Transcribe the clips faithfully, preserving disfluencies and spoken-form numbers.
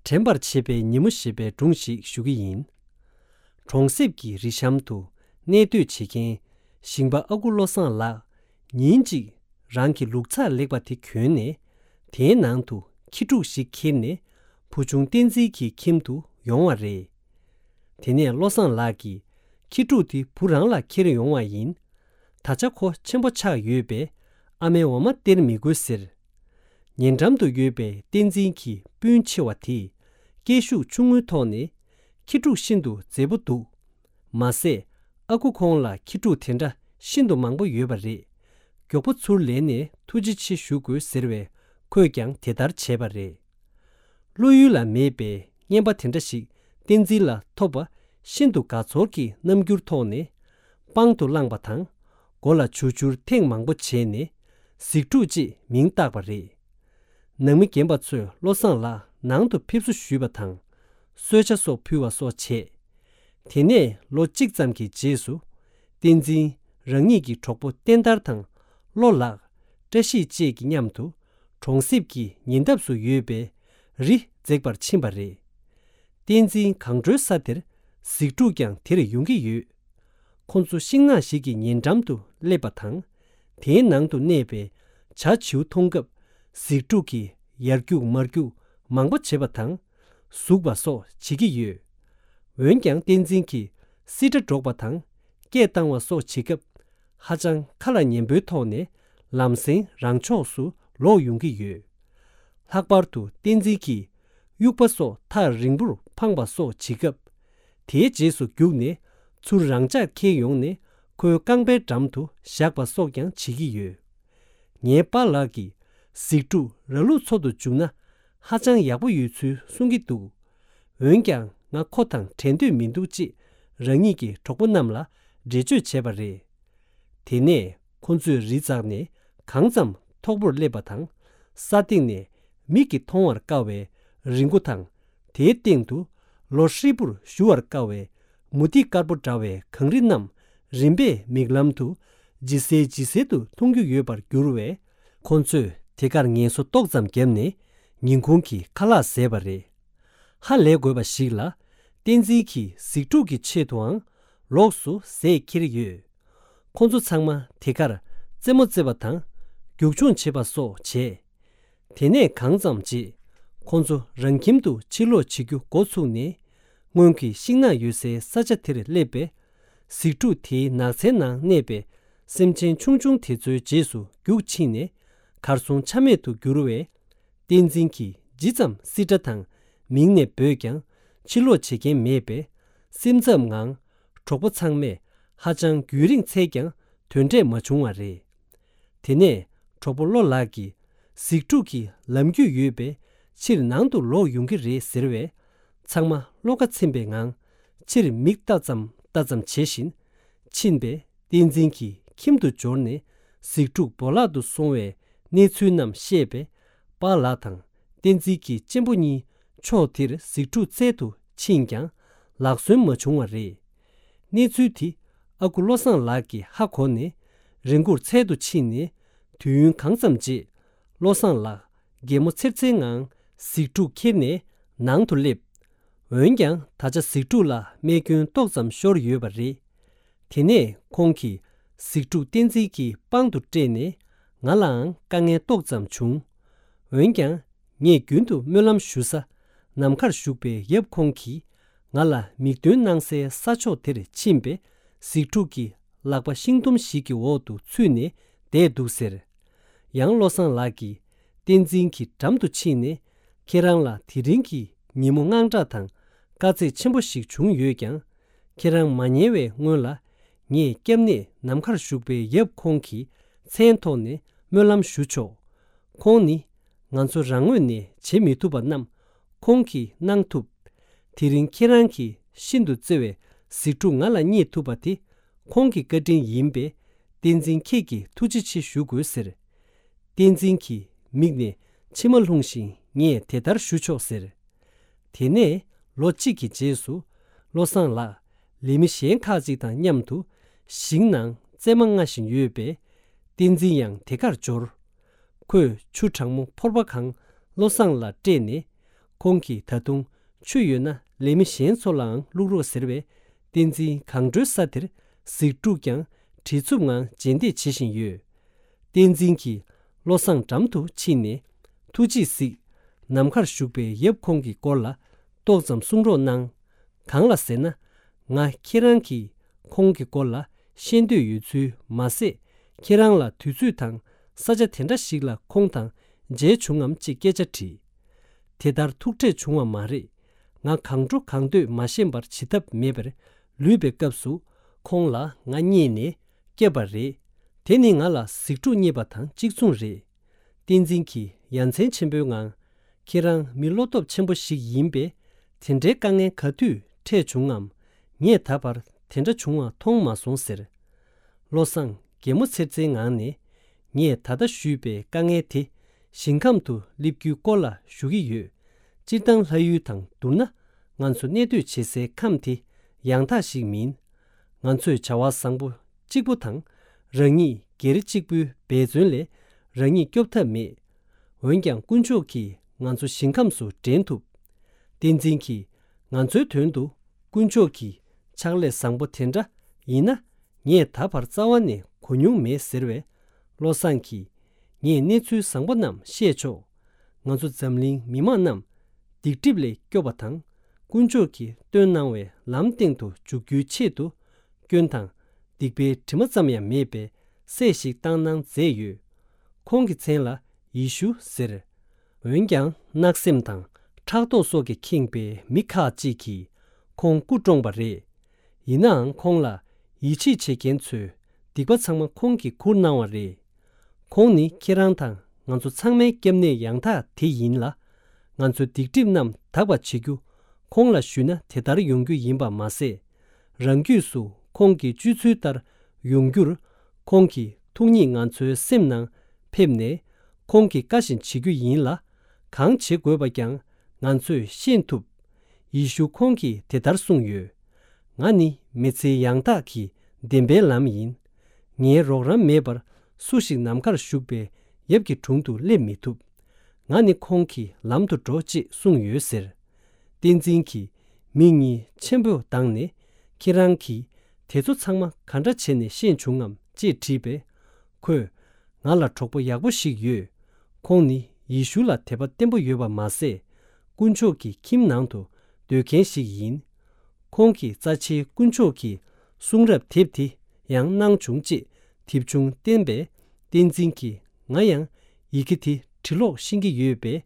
དྲན་པར་བྱེད་པའི་ཉིན་མོ་ཞེས་པའི་སྒྲུང་ཞིག་ཞུ་གི་ཡིན། གྲོང་གསེབ་ཀྱི་རི་གཤམ་དུ་གནས་སྡོད་བྱེད་མཁན་ཞིང་པ་ཨ་ཁུ་བློ་བཟང་ལགས་ཉིན་གཅིག་རང་གི་ལུག་ཚགས་ལེགས་པ་དེ་གྱོན་ནས་དེའི་ནང་དུ་ཁྱི་ཕྲུག་ཞིག་ཁྱེར་ནས་བུ་ཆུང་བསྟན་འཛིན་གྱི་ཁྱིམ་དུ་ཡོང་བ་རེད། དེ་ནས་བློ་བཟང་ལགས་ཀྱིས་ཁྱི་ཕྲུག་དེ་བུ་རང་ལ་ཁྱེར་ཡོང་བ་ཡིན། ད་ཆ་ཁོ་ཆེན་པོ་ཆགས་ཡོད་པས་ཨ་མའི་འོ་མ་སྟེར་མི་དགོས་ཟེར། ཉེ་འགྲམ་དུ་ཡོད་པའི་བསྟན་འཛིན་གྱི་སྤུན་ཆེ་བ་དེས་སྐད་ཤུགས་ཆུང་ངུའི་ཐོག་ནས་ཁྱི་ཕྲུག་ཤིན་ཏུ་མཛེས་པོ་འདུག་མ་ཟད་ཨ་ཁུ་ཁོང་ལ་ཁྱི་ཕྲུག་དེ་འདྲ་ཤིན་ཏུ་མང་པོ་ཡོད་པ་རེད། མགྱོགས་པོ་ཚུར་ལེན་ནས་ཐུགས་རྗེ་ཆེ་ཞུ་དགོས་ཟེར་བས་ཁོས་ཀྱང་དེ་ལྟར་བྱས་པ་རེད། བློ་ཡུལ་ལ་མེད་པའི་རྔན་པ་དེ་འདྲ་ཞིག་བསྟན་འཛིན་ལ་ཐོབ་པ་ཤིན་ཏུ་དགའ་ཚོར་གྱི་རྣམ་འགྱུར་ཐོག་ནས་པང་དུ་བླངས་པ་དང་། མགོ་ལ་བྱུར་བྱུར་ཐེངས་མང་པོ་བྱས་ནས་གཟིག་ཕྲུག་ཅེས་མིང་བཏགས་པ་རེད། ནང་མི་རྒན་པ་ཚོས་བློ་བཟང་ལགས་ནང་དུ་ཕེབས་བསུ་ཞུས་པ་དང་། གསོལ་ཇ་སོགས་ཕུལ་བ་སོགས་བྱས། དེ་ནས་ལོ་གཅིག་ཙམ་གྱི་རྗེས་སུ། བསྟན་འཛིན་རང་ཉིད་ཀྱི་གྲོགས་པོ་བསྟན་དར་དང་བློ་ལགས། བཀྲ་ཤིས་བཅས་ཀྱི་མཉམ་དུ་གྲོང་གསེབ་ཀྱི་ཉེ་འདབས་སུ་ཡོད་པའི་རི་འཛེགས་པར་ཕྱིན་པ་རེད། བསྟན་འཛིན་གང་འགྲོའི་ས་དེར་གཟིག་ཕྲུག་ཀྱང་དེར་ཡོང་གི་ཡོད། ཁོ་ཚོ་ཤིང་ནགས་ཤིག་གི་ཉེ་འགྲམ་དུ་སླེབས་པ་དང་། དེའི་ནང་དུ་གནས་པའི་བྱ་བྱིའུ་མཐོང་སྐབས་གཟིག་ཕྲུག་གིས་ཡར་རྒྱུག་མར་རྒྱུག་མང་པོ་བྱེད་པ་དང་། ཟུག་པ་སོགས་བྱེད་ཀྱི་ཡོད། འོན་ཀྱང་བསྟན་འཛིན་གྱིས་སིལ་སྒྲ་སྒྲོག་པ་དང་སྐད་བཏང་བ་སོགས་བྱེད་སྐབས་ཧ་ཅང་ཁ་ལ་ཉན་པོའི་ཐོག་ནས་ལམ་སེང་རང་ཕྱོགས་སུ་ལོག་ཡོང་གི་ཡོད། ལྷག་པར་དུ་བསྟན་འཛིན་གྱིས་དབྱུག་པ་སོགས་ཐག་རིང་པོར་འཕངས་པ་སོགས་བྱེད་སྐབས། དེའི་རྗེས་སུ་རྒྱུགས་ནས་ཚུར་རང་འཇགས་འཁྱེར་ཡོང་ནས་ཁོའི་རྐང་པའི་འགྲམ་དུ་བཞག་པ་སོགས་ཀྱང་བྱེད་ཀྱི་ཡོད། ངའི་པཱ་ལགས་ཀྱིས་གཟིག་ཕྲུག་ར་ལུག་འཚོ་དུ་བཅུག་ན་ཧ་ཅང་ཡག་པོ་ཡོད་ཚུལ་གསུང་གི་འདུག་འོན་ཀྱང་ང་ཁོ་དང་བྲལ་འདོད་མི་འདུག་ཅེས་རང་ཉིད་ཀྱི་གྲོགས་པོ་རྣམས་ལ་འགྲེལ་བརྗོད་བྱས་པ་རེད། དེ་ནས་ཁོ་ཚོས་རི་འཛེགས་ནས་གང་ཙམ་མཐོ་པོར་སླེབས་པ་དང་། ས་སྟེང་ནས་མིག་གིས་མཐོང་བར་དཀའ་བའི་རི་མགོ་དང་། དེའི་སྟེང་དུ་ལོ་ཧྲིལ་པོར་བཞུ་བར་དཀའ་བའི་མུ་ཏིག་དཀར་པོ་འདྲ་བའི་གངས་རི་རྣམས་རིམ་པས་མིག་ལམ་དུ་ཇེ་གསལ་ཇེ་གསལ་དུ་མཐོང་རྒྱུ་ཡོད་པར་གྱུར་བས། ཁོ་ཚོས་དེ་གར་ངལ་གསོ་ཏོག་ཙམ་བརྒྱབ་ནས་ཉིན་གུང་གི་ཁ་ལག་བཟས་པ་རེད། ཧ་ལས་དགོས་པ་ཞིག་ལ། བསྟན་འཛིན་གྱིས་གཟིག་ཕྲུག་གི་ཆེད་དུའང་ལོགས་སུ་ཟས་ཁྱེར་ཡོད། ཁོ་ཚོ་ཚང་མ་དེ་གར་རྩེད་མོ་རྩེ་བ་དང་རྒྱུག་མཆོང་བྱེད་པ་སོགས་བྱས། དེ་ནས་གང་ཙམ་རྗེས་ཁོ་ཚོ་རང་ཁྱིམ་དུ་ཕྱིར་ལོག་བྱེད་རྒྱུ་འགོ་ཚུགས་ནས། སྔོན་གྱི་ཤིང་ནགས་ཡོད་སའི་ས་ཆ་དེར་སླེབས་པས། གཟིག་ཕྲུག་དེའི་ནགས་ཚལ་ནང་གནས་པའི་སེམས་ཅན་ཆུང་ཆུང་དེ་ཚོའི་རྗེས་སུ་རྒྱུགས་ཕྱིན་ནས་གར་སོང་ཆ་མེད་དུ་གྱུར་བས། བསྟན་འཛིན་གྱིས་ཇི་ཙམ་སིལ་སྒྲ་དང་མིང་ནས་འབོད་ཀྱང་ཕྱིར་ལོག་བྱེད་མཁན་མེད་པས། སེམས་འཚབ་ངང་གྲོགས་པོ་ཚང་མས་ཧ་ཅང་རྒྱུན་རིང་འཚོལ་ཀྱང་དོན་འབྲས་མ་བྱུང་བ་རེད། དེ་ནས་གྲོགས་པོ་བློ་ལགས་ཀྱིས་གཟིག་ཕྲུག་གིས་ལམ་རྒྱུས་ཡོད་པས་ཕྱིར་ནང་དུ་ལོག་ཡོང་གི་རེད་ཟེར་བས། ཚང་མ་བློ་ཁ་ཚིམ་པའི་ངང་ཕྱིར་མིག་ལྟ་ཙམ་ལྟ་ཙམ་བྱེད་བཞིན་ཕྱིན་པས། བསྟན་འཛིན་གྱིས་ཁྱིམ་དུ་འབྱོར་ནས་གཟིག་ཕྲུག་སྦོ་ལག་ཏུ་སོང་བའི་གནས་ཚུལ་རྣམས་བཤད་པས། པཱ་ལགས་དང་བསྟན་འཛིན་གྱི་གཅེན་པོ་གཉིས་ཕྱོགས་དེར་གཟིག་ཕྲུག་འཚོལ་དུ་ཕྱིན་ཀྱང་ལག་སོན་མ་བྱུང་བ་རེད། གནས་ཚུལ་དེ་ཨ་ཁུ་བློ་བཟང་ལགས་ཀྱིས་ཧ་གོ་ནས་རི་མགོར་འཚོལ་དུ་ཕྱིན་ནས་དུས་ཡུན་གང་ཙམ་རྗེས། བློ་བཟང་ལགས་གད་མོ་ཚེར་ཚེར་ངང་གཟིག་ཕྲུག་ཁྱེར་ནས་ནང་དུ་སླེབས། འོན་ཀྱང་ད་ཆ་གཟིག་ཕྲུག་ལ་རྨས་སྐྱོན་ཏོག་ཙམ་ཤོར་ཡོད་པ་རེད། དེ་ནས་ཁོང་གིས་གཟིག་ཕྲུག་བསྟན་འཛིན་གྱི་པང་དུ་སྤྲད་ནས་ང་ལའང་དཀའ་ངལ་ཏོག་ཙམ་བྱུང་། འོན་ཀྱང་ངས་རྒྱུན་དུ་སྨོན་ལམ་ཞུ་ས་ནམ་མཁར་བཞུགས་པའི་ཡབ་ཁོང་གིས་ང་ལ་མིག་སྟོན་གནང་སའི་ས་ཕྱོགས་དེར་ཕྱིན་པས། གཟིག་ཕྲུག་གི་ལག་པ་ཤིང་དུམ་ཞིག་གི་འོག་ཏུ་ཚུད་ནས་བསྡད་འདུག་ཟེར། ཡང་བློ་བཟང་ལགས་ཀྱིས་བསྟན་འཛིན་གྱི་འགྲམ་དུ་ཕྱིན་ནས། ཁྱེད་རང་ལ་དེ་རིང་གི་ཉིན་མོ་དངངས་སྐྲག་དང་དཀའ་ཚེགས་ཆེན་པོ་ཞིག་བྱུང་ཡོད་ཀྱང་། ཁྱེད་རང་མ་ཉལ་བའི་སྔོན་ལ། ངས་སྐྱབས་གནས་ནམ་མཁར་བཞུགས་པའི་ཡབ་ཁོང་གི་མཚན་ཐོག་ནས་སྨོན་ལམ་ཞུ་ཆོག་ཁོང་ནི་ང་ཚོ་རང་ངོས་ནས་བྱེད་མི་ཐུབ་པ་རྣམས་ཁོང་གིས་གནང་ཐུབ། དེ་རིང་ཁྱེད་རང་གིས་ཤིན་ཏུ་བརྩེ་བའི་གཟིག་ཕྲུག་ང་ལ་རྙེད་ཐུབ་པ་དེ་ཁོང་གི་བཀའ་དྲིན་ཡིན་པས། བསྟན་འཛིན་ཁྱེད་ཀྱིས་ཐུགས་རྗེ་ཆེ་ཞུ་དགོས་ཟེར། བསྟན་འཛིན་གྱི་མིག་ནས་མཆི་མ་ལྷུང་ཞིང་ངས་དེ་ལྟར་ཞུ་ཆོག་ཟེར། དེ་ནས་ལོ་གཅིག་གི་རྗེས་སུ་བློ་བཟང་ལགས་ལས་མི་གཞན་ཁག་ཅིག་དང་མཉམ་དུ་ཞིང་ནང་རྩེད་མ་རྔ་བཞིན་ཡོད་པས། བསྟན་འཛིན་ཡང་དེ་གར་འབྱོར། ཁོས་ཆུ་གྲང་མོ་ཕོར་པ་གང་བློ་བཟང་ལ་སྤྲད་ནས། ཁོང་གིས་ད་དུང་ཆུ་ཡོད་ན་ལས་མི་གཞན་ཚོ་ལའང་བླུག་རོགས་ཟེར་བས། བསྟན་འཛིན་གང་འགྲོའི་ས་དེར་གཟིག་ཕྲུག་ཀྱང་བྲེལ་འཚུབ་ངང་རྗེས་འདེད་བྱེད་བཞིན་ཡོད། བསྟན་འཛིན་གྱིས་བློ་བཟང་འགྲམ་དུ་ཕྱིན་ནས། ཐུགས་རྗེས་གཟིགས། ནམ་མཁར་བཞུགས་པའི་ཡབ་ཁོང་གི་སྐོར་ལ་ཏོག་ཙམ་གསུང་རོགས་གནང་། གང་ལ་ཟེར་ན། ང་ཁྱེད་རང་གིས་ཁོང་གི་སྐོར་ལ་ཤེས་འདོད་ཡོད་ཚུལ་མ་ཟད། ཁྱེད་རང་ལ་དུས་ཚོད་དང་ས་ཆ་དེ་འདྲ་ཞིག་ལ་ཁོང་དང་མཇལ་བྱུང་ངམ་ཅེས་སྐད་ཆ་དྲིས། དེ་ལྟར་ཐུག་འཕྲད་བྱུང་བ་མ་རེད། ང་གང་འགྲོ་གང་འདོད་མ་ཤེས་པར་བྱེད་ཐབས་མེད་པར་ལུས་པའི་སྐབས་སུ། ཁོང་ལ་ང་རྙེད་ནས་བསྐྱབས་པ་རེད། དེ་ནི་ང་ལ་གཟིག་ཕྲུག་རྙེད་པ་དང་གཅིག་མཚུངས་རེད། བསྟན་འཛིན་གྱིས་ཡ་མཚན་ཆེན་པོའི་ངང་། ཁྱེད་རང་མི་བློ་སྟོབས་ཆེན་པོ་ཞིག་ཡིན་པས། དེ་འདྲའི་དཀའ་ངལ་ག་དུས་འཕྲད་བྱུང་ངམ། ངས་ད་བར་དེ་འདྲ་བྱུང་བ་མཐོང་མ་སོང་ཟེར། བློ་བཟང་གད་མོ་ཚེར་ཚེར་ངང་ནས། ངས་ད་ལྟ་ཞུས་པའི་དཀའ་ངལ་དེ་ཞིང་ཁམས་དུ་སླེབས་རྒྱུའི་སྐོར་ལ་ཞུ་གི་ཡོད། སྤྱིར་བཏང་ལྷ་ཡུལ་དང་བསྡུར་ན། ང་ཚོ་གནས་སྡོད་བྱེད་སའི་ཁམས་དེ་ཡང་དག་ཞིག་མིན། ང་ཚོས་བྱ་བ་བཟང་པོ་གཅིག་པུ་དང་། རང་ཉིད་སྒེར་གཅིག་པུའི་འབད་བརྩོན་ལས་རང་ཉིད་སྐྱོབ་ཐབས་མེད། འོན་ཀྱང་དཀོན་མཆོག་གིས་ང་ཚོ་ཞིང་ཁམས་སུ་འདྲེན་ཐུབ། བསྟན་འཛིན་གྱིས་ང་ཚོའི་དོན་དུ་དཀོན་མཆོག་གི་ཕྱག་ལས་བཟང་པོ་དེ་འདྲ་ཡིན་ན། ངས་ད་བར་རྩ་བ་ནས་གོ་མྱོང་མེད་ཟེར་བས། བློ་བཟང་གིས། ངས་གནས་ཚུལ་བཟང་པོ་རྣམས་བཤད་ཆོག་ང་ཚོ་འཛམ་གླིང་མི་མང་རྣམས་སྡིག་སྒྲིབ་ལས་སྐྱོབ་པ་དང་། དཀོན་མཆོག་གིས་སྟོན་གནང་བའི་ལམ་སྟེང་དུ་འཇུག་རྒྱུའི་ཆེད་དུ། སྐྱོན་དང་སྡིག་པའི་དྲི་མ་ཙམ་ཡང་མེད་པའི་སྲས་ཤིག་བཏང་གནང་མཛད་ཡོད། ཁོང་གི་མཚན་ལ་ཡེ་ཤུ་ཟེར། འོན་ཀྱང་གནག་སེམས་དང་ཕྲག་དོག་སོགས་ཀྱིས་ཁེངས་པའི་མི་ཁག་ཅིག་གིས་ཁོང་སྐུ་བཀྲོངས་པ་རེད། ཡིན་ནའང་ཁོང་ལ་ཡིད་ཆེས་བྱེད་མཁན་ཚོས་སྡིག་པ་ཚང་མ་ཁོང་གིས་ཁུར་གནང་བ་རེད། ཁོང་ནི་ཁྱེད་རང་དང་ང་ཚོ་ཚང་མའི་སྐྱབས་གནས་ཡང་དག་དེ་ཡིན་ལ། ང་ཚོའི་སྡིག་སྒྲིབ་རྣམས་དག་པ་བྱེད་རྒྱུ། ཁོང་ལ་ཞུས་ན་དེ་ལྟར་ཡོང་རྒྱུ་ཡིན་པ་མ་ཟད། རང་རྒྱུད་སུ་ཁོང་གི་སྤྱོད་ཚུལ་ལྟར་ཡོང་རྒྱུར། ཁོང་གི་ཐུགས་ཉིད་ང་ཚོའི་སེམས་ནང་ཕེབས་ནས། ཁོང་གི་བཀའ་བཞིན་བྱེད་རྒྱུ་ཡིན་ལ། གང་བྱེད་དགོས་པ་ཀྱང་ང་ཚོས་ཤེས་ཐུབ། ཡེ་ཤུ་ཁོང་གིས་དེ་ལྟར་གསུངས་ཡོད། ང་ནི་མི་ཚེ་ཡང་དག་གི་བདེན་པའི་ལམ་ཡིན། ངའི་རོགས་རམ་མེད་པར་སུ་ཞིག་ནམ་མཁར་བཞུགས་པའི་ཡབ་ཀྱི་དྲུང་དུ་སླེབས་མི་ཐུབ། ང་ནི་ཁོང་གི་ལམ་དུ་འགྲོ་ཅེས་གསུངས་ཡོད་ཟེར། བསྟན་འཛིན་གྱིས་མིག་གཉིས་ཆེན་པོ་གདངས་ནས། ཁྱེད་རང་གིས་དེ་ཚོ་ཚང་མ་ག་འདྲ་བྱས་ནས་ཤེས་བྱུང་ངམ་ཅེས་དྲིས་པས། ཁོས། ང་ལ་གྲོགས་པོ་ཡག་པོ་ཞིག་ཡོད། ཁོང་ནི་ཡེ་ཤུ་ལ་དད་པ་བརྟན་པོ་ཡོད་པ་མ་ཟད། དཀོན་མཆོག་གི་ཁྱིམ་ནང་དུ་སྡོད་མཁན་ཞིག་ཡིན། ཁོང་གིས་རྩ་ཆེའི་དཀོན་མཆོག་གི་གསུང་རབ་དེབ་དེ་ཡང་གནང་བྱུང་ཅེས་དེབ་ཆུང་བསྟན་པས། བསྟན་འཛིན་གྱིས་ང་ཡང་ཡི་གེ་དེ་འབྲི་ཀློག་ཤེས་ཀྱི་ཡོད་པས།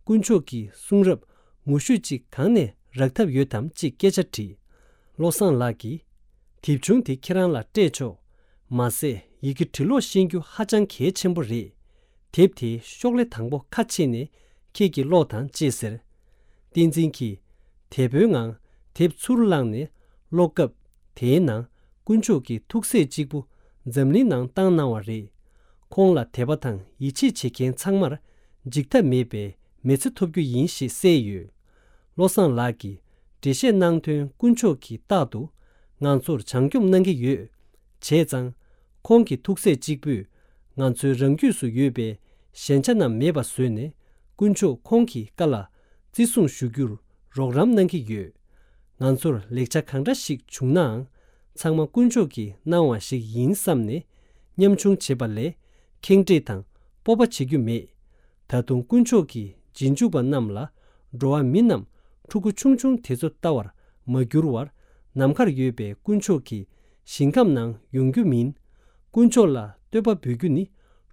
དཀོན་མཆོག་གི་གསུང་རབ་ངོ་བཤུས་ཅིག་གང་ནས་རག་ཐབས་ཡོད་དམ་ཅེས་སྐད་ཆ་དྲིས། བློ་བཟང་ལགས་ཀྱིས། དེབ་ཆུང་དེ་ཁྱེད་རང་ལ་སྤྲད་ཆོག་མ་ཟད་ཡི་གེ་འབྲི་ཀློག་ཤེས་རྒྱུ་ཧ་ཅང་གལ་ཆེན་པོ་རེད། དེབ་དེའི་ཤོག་ལྷེ་དང་པོ་ཁ་ཕྱེ་ནས་ཁྱེད་ཀྱིས་ཀློག་དང་ཅེས་ཟེར། བསྟན་འཛིན་གྱིས་དལ་པོའི་ངང་དེབ་ཚུར་བླངས་ནས་ཀློག་སྐབས། དེའི་ནང་དཀོན་མཆོག་གི་ཐུགས་སྲས་གཅིག་པུ་འཛམ་གླིང་ནང་བཏང་གནང་བ་རེད། ཁོང་ལ་དད་པ་དང་ཡིད་ཆེས་བྱེད་མཁན་ཚང་མར་འཇིགས་ཐབས་མེད་པའི་མི་ཚེ་ཐོབ་རྒྱུ་ཡིན་ཞེས་གསལ་ཡོད། བློ་བཟང་ལགས་ཀྱིས་འགྲེལ་བཤད་གནང་དོན་དཀོན་མཆོག་གིས་རྟག་ཏུ་ང་ཚོར་བྱང་སྐྱོབ་གནང་གི་ཡོད། བྱས་ཙང་། ཁོང་གི་ཐུགས་སྲས་གཅིག་པུས་ང་ཚོའི་རང་རྒྱུད་སུ་ཡོད་པའི་ཞན་ཆ་རྣམས་མེད་པ་བཟོས་ནས། དཀོན་མཆོག་ཁོང་གི་བཀའ་ལ་བརྩི་སྲུང་ཞུ་རྒྱུར་རོགས་རམ་གནང་གི་ཡོད། ང་ཚོར་ལེགས་ཆ་གང་འདྲ་ཞིག་བྱུང་ནའང་། ཚང་མ་དཀོན་མཆོག་གིས་གནང་བ་ཞིག་ཡིན་བསམ་ནས་ཉམ་ཆུང་བྱེད་པ་ལས་ཁེངས་དྲེགས་དང་སྤོབས་པ་བྱེད་རྒྱུ་མེད། ད་དུང་དཀོན་མཆོག་གི་རྗེས་འཇུག་པ་རྣམས་ལ་འགྲོ་བ་མི་རྣམས་ཕྲུ་གུ་ཆུང་ཆུང་དེ་ཚོ་ལྟ་བར་མ་གྱུར་བར། ནམ་མཁར་ཡོད་པའི་དཀོན་མཆོག་གི་ཞིང་ཁམས་ནང་ཡོང་རྒྱུ་མིན། དཀོན་མཆོག་ལ་བསྟོད་པ་འབུལ་རྒྱུ་ནི་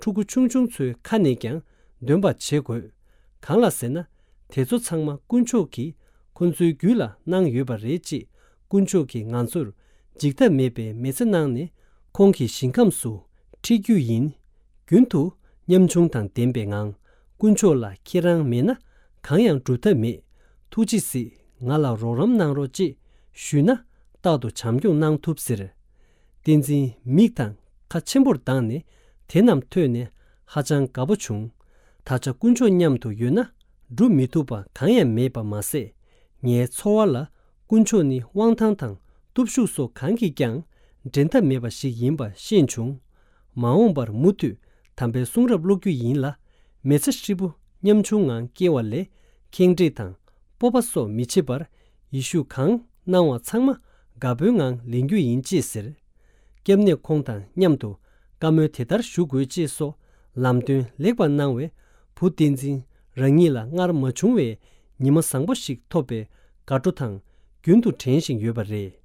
ཕྲུ་གུ་ཆུང་ཆུང་ཚོའི་ཁ་ནས་ཀྱང་འདོན་པ་བྱེད་དགོས། གང་ལ་ཟེར་ན། དེ་ཚོ་ཚང་མ་དཀོན་མཆོག་གིས་ཁོ་ཚོའི་རྒྱུད་ལ་གནང་ཡོད་པ་རེད་ཅེས། དཀོན་མཆོག་གིས་ང་ཚོར་འཇིགས་ཐབས་མེད་པའི་མི་ཚེ་གནང་ནས་ཁོང་གི་ཞིང་ཁམས་སུ་ཁྲིད་རྒྱུ་ཡིན། རྒྱུན་དུ་ཉམ་ཆུང་དང་ལྡན་པའི་ངང་། དཀོན་མཆོག་ལ་ཁྱེད་རང་མེད་ན་གང་ཡང་སྒྲུབ་ཐབས་མེད། ཐུགས་རྗེས་གཟིགས། ང་ལ་རོགས་རམ་གནང་རོགས་ཅེས་ཞུས་ན། རྟག་ཏུ་བྱམས་སྐྱོང་གནང་ཐུབ་ཟེར། བསྟན་འཛིན་མིག་དང་ཁ་ཆེན་པོར་གདངས་ནས་དེ་རྣམས་ཐོས་ནས་ཧ་ཅང་དགའ་པོ་བྱུང་། ད་ཆ་དཀོན་མཆོག་མཉམ་དུ་ཡོད་ན་སྒྲུབ་མི་ཐུབ་པ་གང་ཡང་མེད་པ་མ་ཟད། ངའི་འཚོ་བ་ལ་དཀོན་མཆོག་ནི་དབང་ཐང་དང་སྟོབས་ཤུགས་སོགས་གང་གིས་ཀྱང་འགྲན་ཐབས་མེད་པ་ཞིག་ཡིན་པ་ཤེས་བྱུང་། མ་འོངས་པར་མུ་མཐུད་དམ་པའི་གསུང་རབ་ཀློག་རྒྱུ་ཡིན་ལ། མི་ཚེ་ཧྲིལ་པོ་ཉམ་ཆུང་ངང་སྐྱེལ་བ་ལས་ཁེངས་དྲེགས་དང་ སྤོབས་པ་སོགས་མི་བྱེད་པར། ཡེ་ཤུས་གང་གནང་བ་ཚང་མ་དགའ་པོའི་ངང་ལེན་རྒྱུ་ཡིན་ཅེས་ཟེར། སྐྱབས་གནས་ཁོང་དང་མཉམ་དུ་བཀའ་མོལ་དེ་ལྟར་ཞུ་དགོས་ཅེས་སོགས་ལམ་སྟོན་ལེགས་པར་གནང་བས། བུ་བསྟན་འཛིན་རང་ཉིད་ལ་སྔར་མ་བྱུང་བའི་ཉི་མ་བཟང་པོ་ཞིག་ཐོབ་པའི་དགའ་སྤྲོ་དང་རྒྱུན་དུ་དྲན་བཞིན་ཡོད་པ་རེད།